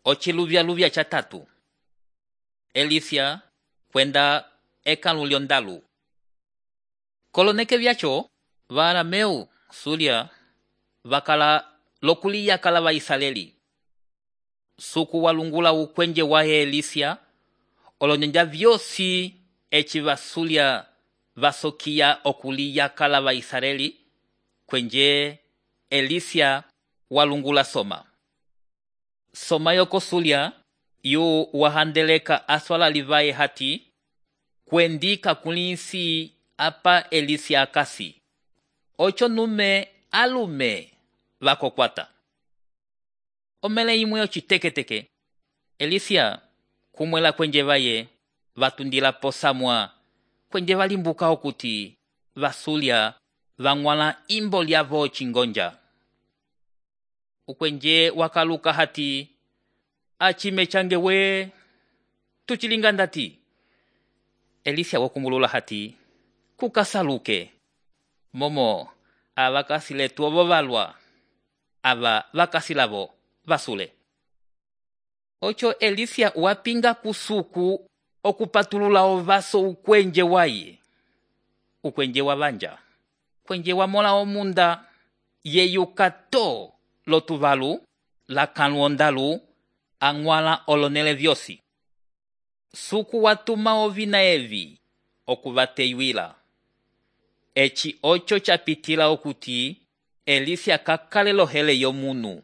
Ociluvyaluvya catatu. Elisia kwenda ekãlu lyondalu. Koloneke vyaco va-arameu sulya vakala lokuliyakala va-Israeli. Suku walungula ukwenje wa Elisia, olonyanja vyosi eci vasulya vasokiya okuliyakala va-Israeli, kwenje Elisia walungula soma. Soma yoko sulya yu wahandeleka aswala livaye hati, kwendika kulinsi apa Elisia akasi. Ocho nume alume vakokwata. Omele imwe ociteketeke. Elisia kumwela kwenje vaye vatundila posamwa kwenje valimbuka okuti vasulya vang'wala imbo lyavo cingonja. Ukwenje wakaluka hati, acime change we, tuchilinga ndati. Elisia wakumbulula hati, kukasaluke. Momo, avakasile tuovo valwa. Ava vakasilavo vasule. Ocho Elisia wapinga kusuku okupatulula ovaso ukwenje waye. Ukwenje wavanja. Kwenje wamola omunda yeyukato lotuvalu, lakãlu ondalu, ang'wala olonele vyosi. Suku watuma ovina evi okuvateyuila. Eci ocho chapitila okuti Elisia kakale lohele yomunu.